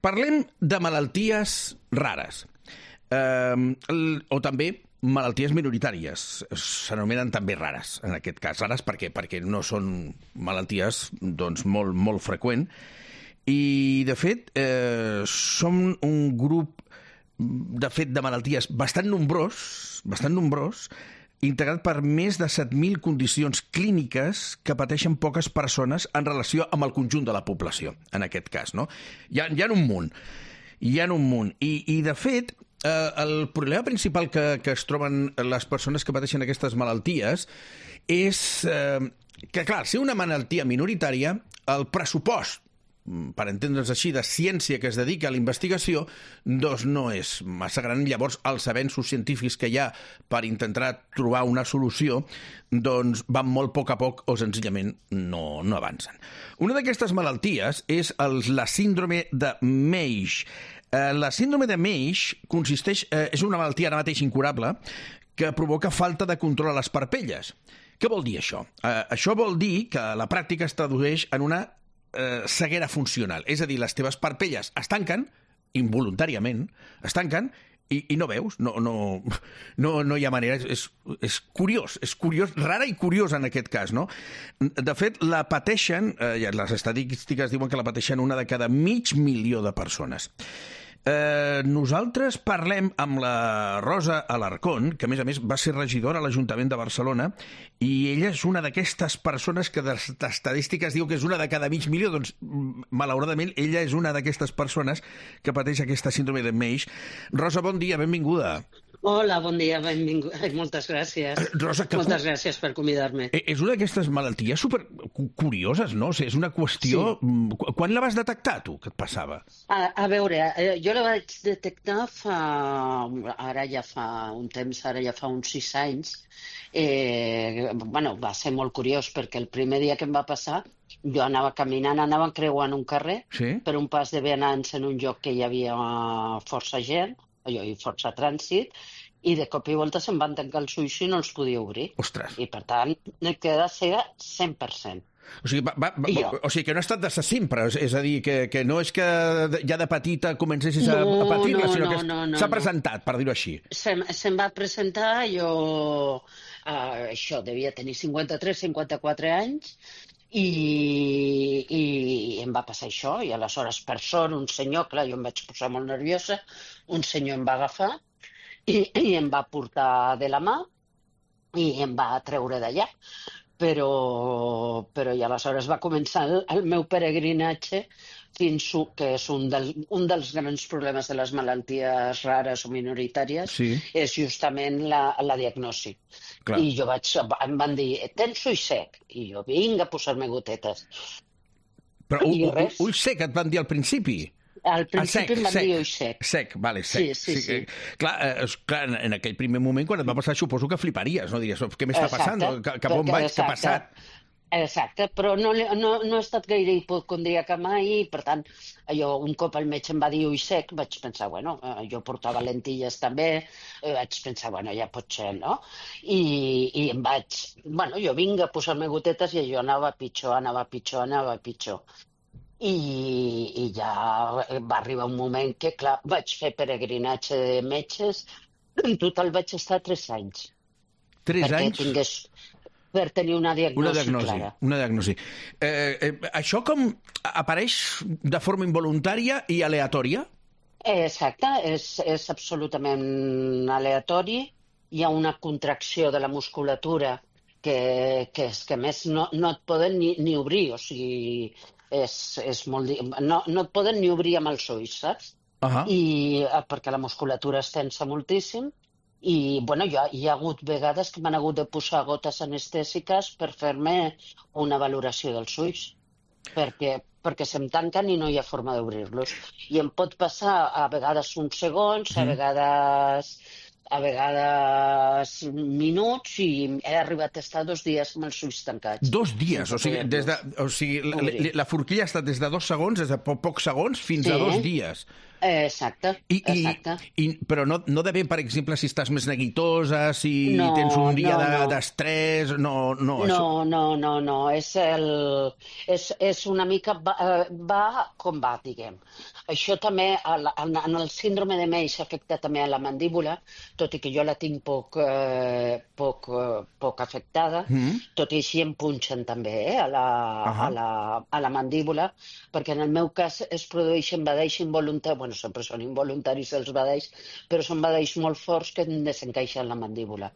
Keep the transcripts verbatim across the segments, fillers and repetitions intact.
Parlem de malalties rares, eh, o també malalties minoritàries. S'anomenen també rares, en aquest cas. Rares per què? Perquè no són malalties doncs, molt, molt freqüent. I, de fet, eh, som un grup de fet de malalties bastant nombrós, bastant nombrós, integrat per més de set mil condicions clíniques que pateixen poques persones en relació amb el conjunt de la població, en aquest cas, no? Hi ha, hi ha un munt, hi ha un munt. I, i de fet, eh, el problema principal que, que es troben les persones que pateixen aquestes malalties és eh, que, clar, ser una malaltia minoritària, el pressupost, per entendre's així, de ciència que es dedica a la investigació, doncs no és massa gran. Llavors, els avenços científics que hi ha per intentar trobar una solució doncs van molt a poc a poc o senzillament no, no avancen. Una d'aquestes malalties és el, la síndrome de Meigs. Eh, la síndrome de Meigs consisteix, eh, és una malaltia ara mateix incurable que provoca falta de control a les parpelles. Què vol dir això? Eh, això vol dir que a la pràctica es tradueix en una Eh, ceguera funcional. És a dir, les teves parpelles es tanquen, involuntàriament, es tanquen, i, i no veus, no, no, no, no hi ha manera. És, és curiós, és curiós, rara i curiós en aquest cas, no? De fet, la pateixen, eh, les estadístiques diuen que la pateixen una de cada mig milió de persones. Eh, nosaltres parlem amb la Rosa Alarcón, que a més a més va ser regidora a l'Ajuntament de Barcelona, i ella és una d'aquestes persones que les estadístiques diu que és una de cada mig milió. Doncs malauradament ella és una d'aquestes persones que pateix aquesta síndrome de Meigs. Rosa, bon dia, benvinguda. Hola, bon dia, benvingut. Moltes gràcies. Rosa, que Moltes gràcies per convidar-me. És una d'aquestes malalties super curioses, no? O sigui, és una qüestió... Sí. Quan la vas detectar, tu, que et passava? A, a veure, jo la vaig detectar fa... Ara ja fa un temps, ara ja fa uns sis anys. Eh, bueno, va ser molt curiós, perquè el primer dia que em va passar, jo anava caminant, anava creuant un carrer, sí? Per un pas de vianants en un lloc que hi havia força gent, allò, i força trànsit, i de cop i volta se'm van tancar els ulls i no els podia obrir. Ostres. I, per tant, he quedat cega cent per cent. O sigui, va, va, va, o sigui, que no ha estat de sempre, és a dir, que, que no és que ja de petita comencessis a, no, a patir-la, no, sinó no, que no, no, s'ha presentat, per dir-ho així. Se'm, se'm va presentar, jo, uh, això, devia tenir cinquanta-tres cinquanta-quatre anys, i, i em va passar això, i aleshores, per sort, un senyor, clar, jo em vaig posar molt nerviosa, un senyor em va agafar i, i em va portar de la mà i em va treure d'allà. Però, però i aleshores va començar el, el meu peregrinatge fins que és un, del, un dels grans problemes de les malalties rares o minoritàries, sí. És justament la, la diagnosi. Clar. I jo vaig, em van dir, tens ull sec? I jo, vinga, a posar-me gotetes. Però ull, ull, ull sec et van dir al principi? Al principi ah, sec, em van sec, dir ull sec. Sec, vale, sec. Sí, sí, sí. sí. Clar, eh, clar, en aquell primer moment, quan et va passar, suposo que fliparies, no? Diries, què m'està passant? Cap on vaig? Què ha passat? Exacte, però no, no, no he estat gaire hipocondríaca mai, i per tant, jo un cop el metge em va dir ull sec, vaig pensar, bueno, jo portava lentilles també, vaig pensar, bueno, ja pot ser, no? I, i em vaig, bueno, jo vinc a posar-me gotetes i jo anava pitjor, anava pitjor, anava pitjor. I, i ja va arribar un moment que, clar, vaig fer peregrinatge de metges, en total vaig estar tres anys. Tres perquè anys? Tingués... per tenir una diagnosi, una diagnosi clara. Una diagnosi. Eh, eh, això com apareix de forma involuntària i aleatòria? Exacte, és, és absolutament aleatori. Hi ha una contracció de la musculatura que, que és que, a més, no, no et poden ni, ni obrir, o sigui, és, és molt... No, no et poden ni obrir amb els ulls, saps? Uh-huh. I, perquè la musculatura es tensa moltíssim. I, bueno, hi ha, hi ha hagut vegades que m'han hagut de posar gotes anestèsiques per fer-me una valoració dels ulls, perquè, perquè se'm tanquen i no hi ha forma d'obrir-los. I em pot passar a vegades uns segons, a vegades, a vegades minuts, i he arribat a estar dos dies amb els ulls tancats. Dos dies? O sigui, des de, o sigui la, la forquilla ha estat des de dos segons, des de po pocs segons, fins sí. a dos dies. Exacte, I, exacte. i, i, però no, no depèn, per exemple, si estàs més neguitosa, si No, tens un dia no, no. d'estrès... No, no, No, això... no, no, no. És, el, és, és una mica... Va, eh, va com va, diguem. Això també, a la- en, en el síndrome de Meix afecta també a la mandíbula, tot i que jo la tinc poc, eh, poc, eh, poc afectada, Mm. tot i així em punxen també eh, a, la, Ahà. a, la, a la mandíbula, perquè en el meu cas es produeixen badalls involuntaris, bueno, sempre són involuntaris els badalls, però són badalls molt forts que em desencaixen la mandíbula.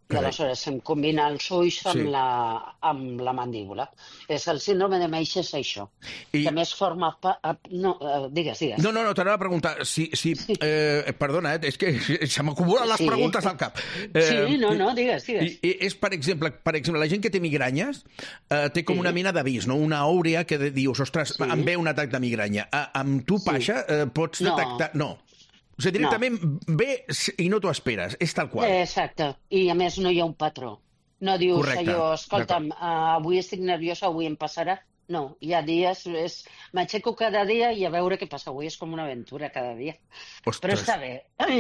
I Carai. aleshores em combina els ulls amb, Sí. la, amb la mandíbula. És el síndrome de Meix és això. I- I... Que a més forma part... No, eh, digues, digues. No, no, no, t'anava a preguntar si... si eh, perdona, eh, és que se m'acumulen les Sí. preguntes al cap. Eh, Sí, no, no, digues, digues. I, i és, per exemple, per exemple, la gent que té migranyes eh, té com Sí. una mena d'avís, no? Una àurea que de- dius, ostres, Sí. em ve un atac de migranya. A, amb tu, Sí. Pasha, eh, pots No. detectar... No. O sigui, directament ve i no t'ho esperes. És tal qual. Eh, Exacte. I a més no hi ha un patró. No dius Correcte. allò, escolta'm, uh, avui estic nerviosa, avui em passarà. No, hi ha dies, és... m'aixeco cada dia i a veure què passa. Avui és com una aventura cada dia. Ostres. Però està bé,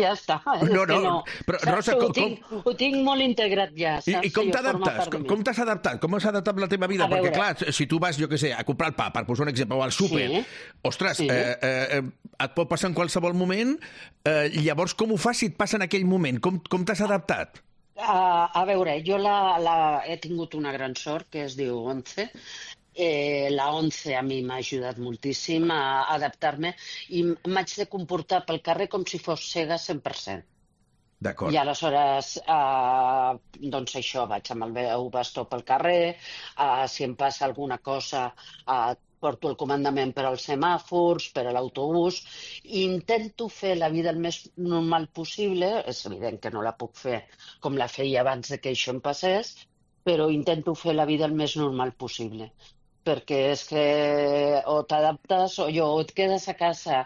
ja està. No, és que no, no. però, Saps? Rosa, ho, com- tinc, ho tinc molt integrat ja, I, saps? I com Allò forma t'adaptes? part de mi. Com t'has adaptat? Com has adaptat la teva vida? A Perquè, veure. clar, si tu vas, jo què sé, a comprar el pa, per posar un exemple, o al súper, Sí. ostres, Sí. eh, eh, et pot passar en qualsevol moment, eh, llavors com ho fas si et passa en aquell moment? Com, com t'has adaptat? A, a veure, jo la, la, he tingut una gran sort que es diu Once. Eh, la Once a mi m'ha ajudat moltíssim a adaptar-me i m'haig de comportar pel carrer com si fos cega cent per cent. D'acord. I aleshores, eh, doncs això, vaig amb el meu bastó pel carrer, eh, si em passa alguna cosa, eh, porto el comandament per als semàfors, per a l'autobús, i intento fer la vida el més normal possible. És evident que no la puc fer com la feia abans de que això em passés, però intento fer la vida el més normal possible. Perquè és que o t'adaptes o, jo, o et quedes a casa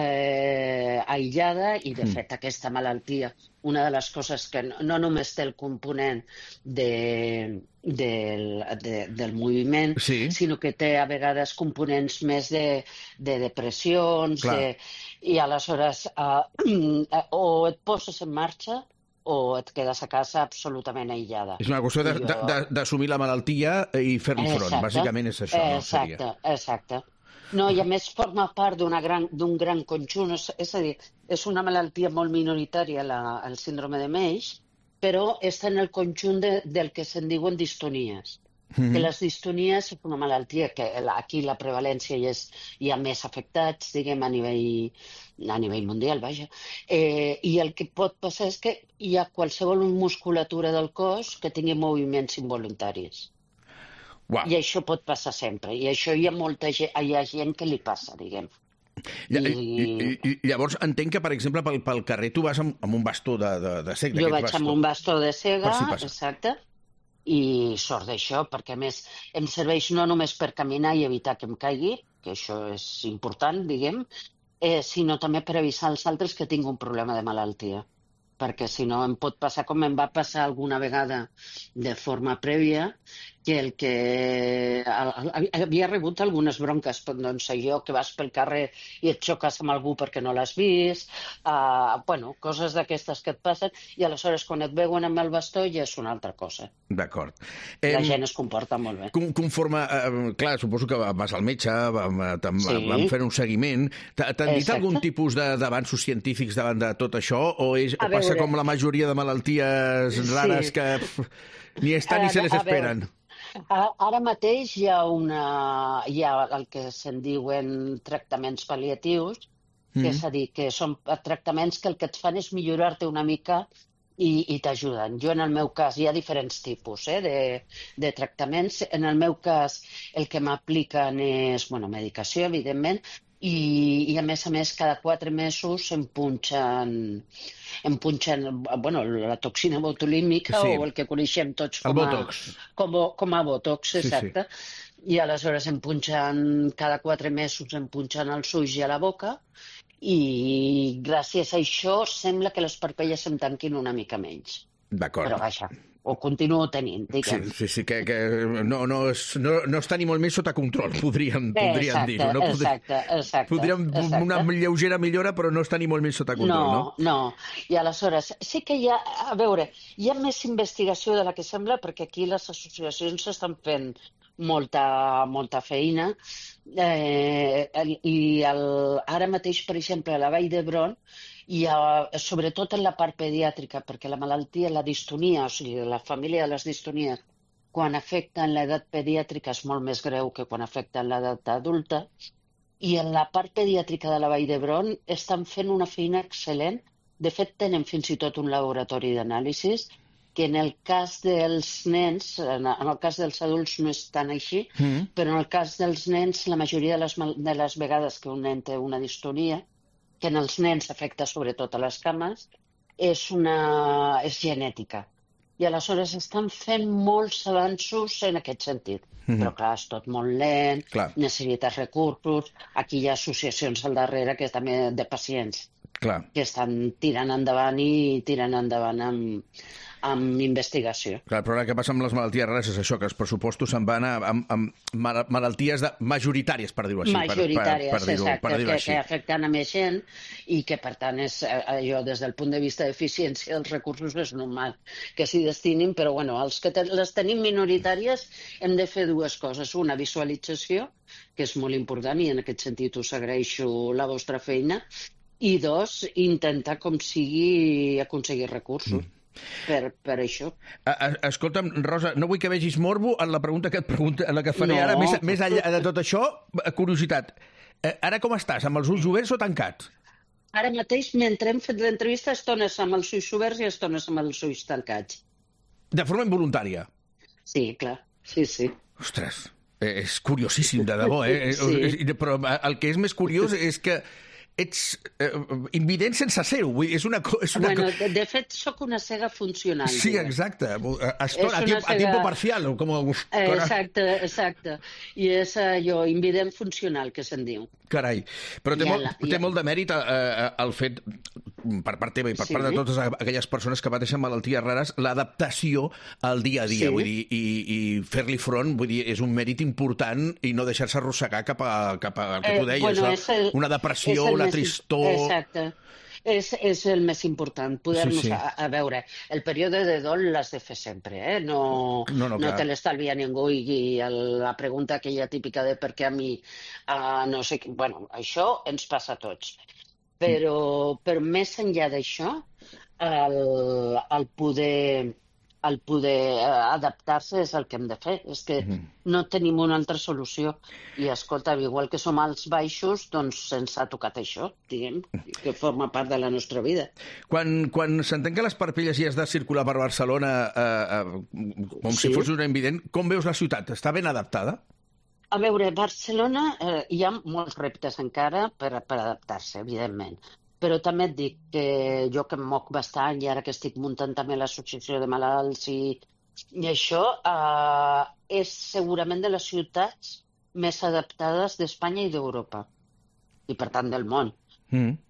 eh, aïllada i, de fet, aquesta malaltia, una de les coses que no, no només té el component de, del, de, del moviment, Sí. sinó que té a vegades components més de, de depressions, Clar. de, i aleshores eh, o et poses en marxa o et quedes a casa absolutament aïllada. És una qüestió de- I jo- de- de- d'assumir la malaltia i fer-li front. Exacte. Bàsicament és això, no? Exacte, Seria. exacte. No, i a més forma part d'una gran, d'un gran conjunt. És, és a dir, és una malaltia molt minoritària, la, el síndrome de Meix, però està en el conjunt de, del que se'n diuen distonies. Mhm. Que les distonies és una malaltia que la- aquí la prevalència hi, és, hi ha més afectats, diguem, a nivell, a nivell mundial, vaja. Eh, I el que pot passar és que hi ha qualsevol musculatura del cos que tingui moviments involuntaris. Uau. I això pot passar sempre. I això hi ha molta gent, hi ha gent que li passa, diguem. Lla- I- i- i- Llavors, entenc que, per exemple, pel, pel carrer tu vas amb, amb un bastó de, de, de cec, Jo d'aquest vaig bastó. amb un bastó de cega, Per si passa. exacte, i sort d'això, perquè a més em serveix no només per caminar i evitar que em caigui, que això és important, diguem, eh, sinó també per avisar als altres que tinc un problema de malaltia. Perquè si no em pot passar com em va passar alguna vegada de forma prèvia, que el que el- el- havia rebut algunes bronques, doncs allò que vas pel carrer i et xoques amb algú perquè no l'has vist, uh, bueno, coses d'aquestes que et passen, i aleshores quan et veuen amb el bastó ja és una altra cosa. D'acord. La Em, gent es comporta molt bé. con- Conforme... Eh, clar, suposo que vas al metge, vam, eh, tam- Sí. vam fer un seguiment. T'ha- T'han dit Exacte. algun tipus de- d'avanços científics davant de tot això? O, és, o A passa veure. com la majoria de malalties Sí. rares que pf, ni estan ni A- se les a veure, esperen? A- Ara mateix hi ha, una, hi ha el que se'n diuen tractaments pal·liatius, que Mm. és a dir, que són tractaments que el que et fan és millorar-te una mica i, i t'ajuden. Jo, en el meu cas, hi ha diferents tipus eh, de, de tractaments. En el meu cas, el que m'apliquen és, bueno, medicació, evidentment, i, i a més a més, cada quatre mesos em punxen, em punxen bueno, la toxina botulímica Sí. o el que coneixem tots El com a, Botox. com, a- com a botox, Sí, sí. exacte. I aleshores em punxen, cada quatre mesos em punxen els ulls i a la boca, i gràcies a això sembla que les parpelles em tanquin una mica menys. D'acord. Però vaja, o continuo tenint, diguem. Sí, sí, sí que, que no, no, és, no, no està ni molt més sota control, podríem, podríem exacte, dir-ho. No? Exacte, exacte. Podríem exacte. una lleugera millora, però no està ni molt més sota control, no? No, no. I aleshores, sí que hi ha, a veure, hi ha més investigació de la que sembla, perquè aquí les associacions estan fent molta, molta feina, eh, i el, ara mateix, per exemple, a la Vall d'Hebron, i a, sobretot en la part pediàtrica, perquè la malaltia, la distonia, o sigui, la família de les distonies, quan afecta en l'edat pediàtrica és molt més greu que quan afecta en l'edat adulta, i en la part pediàtrica de la Vall d'Hebron estan fent una feina excel·lent. De fet, tenen fins i tot un laboratori d'anàlisis, que en el cas dels nens, en el cas dels adults no és tan així, mm. però en el cas dels nens, la majoria de les, de les vegades que un nen té una distonia, que en els nens afecta sobretot a les cames, és, una, és genètica. I aleshores estan fent molts avanços en aquest sentit. Mm-hmm. Però clar, és tot molt lent, clar. Necessites recursos, aquí hi ha associacions al darrere que també de pacients clar. Que estan tirant endavant i tirant endavant amb, amb investigació. Clar, el problema que passa amb les malalties rares és això, que els pressupostos se'n van a, a, a malalties de, majoritàries, per dir-ho així. Majoritàries, per, per, per exacte, per que, que afecten a més gent i que, per tant, és allò, des del punt de vista d'eficiència dels recursos és normal que s'hi destinin, però bueno, els que te, les tenim minoritàries hem de fer dues coses. Una, visualització, que és molt important i en aquest sentit us agraeixo la vostra feina, i dos, intentar com sigui aconseguir recursos. Mm. Per, per això. Escolta'm, Rosa, no vull que vegis morbo en la pregunta que et pregunta, en la que faré no. ara, més, més enllà de tot això, curiositat. Ara com estàs, amb els ulls oberts o tancats? Ara mateix, mentre hem fet l'entrevista, estones amb els ulls oberts i estones amb els ulls tancats. De forma involuntària? Sí, clar, sí, sí. Ostres, és curiosíssim, de debò, eh? Sí. Però el que és més curiós és que ets eh, invident sense ser-ho. És una, és una... Bueno, de, de fet, sóc una cega funcional. Sí, exacte. Estona, a, tiempo, cega... a tiempo parcial. Com... Eh, exacte, exacte. I és allò, invident funcional, que se'n diu. Carai. Però té, molt, té molt de mèrit eh, el fet, per part teva i per sí. part de totes aquelles persones que pateixen malalties rares, l'adaptació al dia a dia. Sí. Vull dir, i, i fer-li front, vull dir, és un mèrit important i no deixar-se arrossegar cap a, cap a el que tu deies, eh, bueno, el, una depressió, una tristor... Exacte. És, és el més important, poder-nos... Sí, sí. a, a veure, el període de dol l'has de fer sempre, eh? No, no, no, no te l'estalvia ningú i, i el, la pregunta aquella típica de per què a mi... Uh, no sé, bueno, això ens passa a tots. Però, mm. però més enllà d'això, el, el poder... el poder adaptar-se és el que hem de fer. És que mm. no tenim una altra solució. I, escolta, igual que som als baixos, doncs se'ns ha tocat això, diguem, que forma part de la nostra vida. Quan, quan s'entén que les parpelles i has de circular per Barcelona eh, eh, com sí. si fos una invident, com veus la ciutat? Està ben adaptada? A veure, a Barcelona eh, hi ha molts reptes encara per, per adaptar-se, evidentment. Però també et dic que jo que em moc bastant i ara que estic muntant també l'associació de malalts i, i això, eh, és segurament de les ciutats més adaptades d'Espanya i d'Europa. I per tant del món. Mm.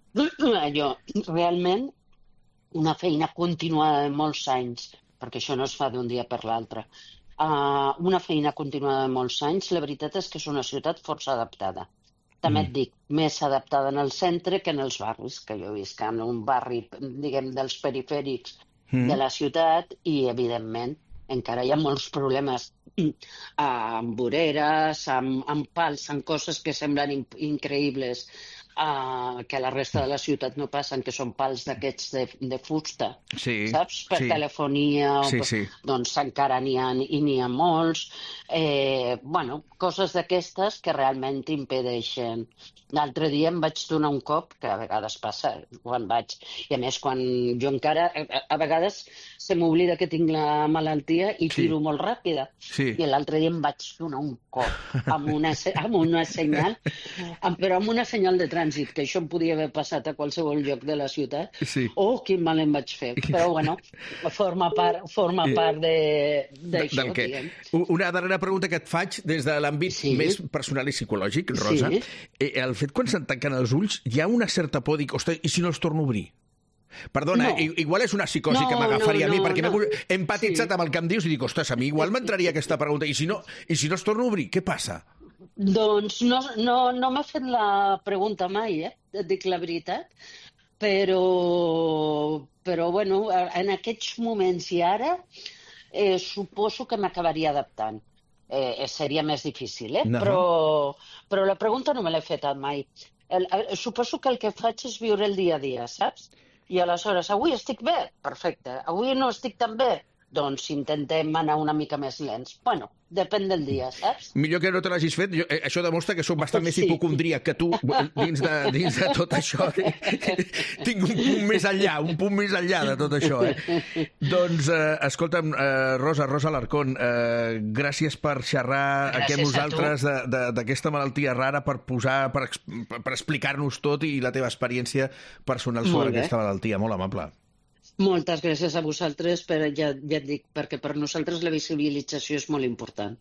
Allò, realment, una feina continuada de molts anys, perquè això no es fa d'un dia per l'altre, uh, una feina continuada de molts anys, la veritat és que és una ciutat força adaptada. També et dic, més adaptada en el centre que en els barris, que jo visc en un barri, diguem, dels perifèrics mm. de la ciutat i, evidentment, encara hi ha molts problemes amb voreres, amb, amb pals, amb coses que semblen in increïbles, uh, que a la resta de la ciutat no passen, que són pals d'aquests de, de fusta, sí, saps? Per sí. telefonia, sí, sí. doncs encara n'hi ha, i n'hi ha molts. Eh, bueno, coses d'aquestes que realment t'impedeixen. L'altre dia em vaig donar un cop, que a vegades passa quan vaig, i a més quan jo encara, a, a vegades se m'oblida que tinc la malaltia i sí. tiro molt ràpida. Sí. I l'altre dia em vaig donar un cop amb una, amb una senyal, amb, però amb una senyal de trànsit, que això em podia haver passat a qualsevol lloc de la ciutat. Sí. Oh, quin mal em vaig fer. Però bueno, forma part, forma part d'això, diguem. Una darrera pregunta que et faig des de l'àmbit sí. més personal i psicològic, Rosa. Sí. El fet quan se'n tanquen els ulls, hi ha una certa por, dic, ostres, i si no els torno a obrir? Perdona, No. i- igual és una psicosi No, que m'agafaria no, a mi, no, perquè no. m'he he empatitzat Sí. amb el que em dius i dic, ostres, a mi igual m'entraria aquesta pregunta. I si no, i si no es torna a obrir, què passa? Doncs no, no, no m'he fet la pregunta mai, eh? Et dic la veritat. Però, però bueno, en aquests moments i ara eh, suposo que m'acabaria adaptant. Eh, seria més difícil, eh? No. Però, però la pregunta no me l'he fet mai. El, el, suposo que el que faig és viure el dia a dia, saps? I aleshores, avui estic bé? Perfecte. Avui no estic tan bé? Doncs intentem anar una mica més lents. Bueno, depèn del dia, saps? Millor que no te l'hagis fet. Jo, eh, això demostra que sóc bastant més Sí. hipocondríac que tu dins de, dins de tot això. Tinc un punt més enllà, un punt més enllà de tot això. Eh? Doncs, eh, escolta'm, eh, Rosa, Rosa Alarcón, eh, gràcies per xerrar Gràcies aquí amb a tu. nosaltres de- de- d'aquesta malaltia rara, per posar, per, ex- per explicar-nos tot i la teva experiència personal sobre Molt bé. aquesta malaltia. Molt amable. Moltes gràcies a vosaltres, per, ja, ja et dic, perquè per nosaltres la visibilització és molt important.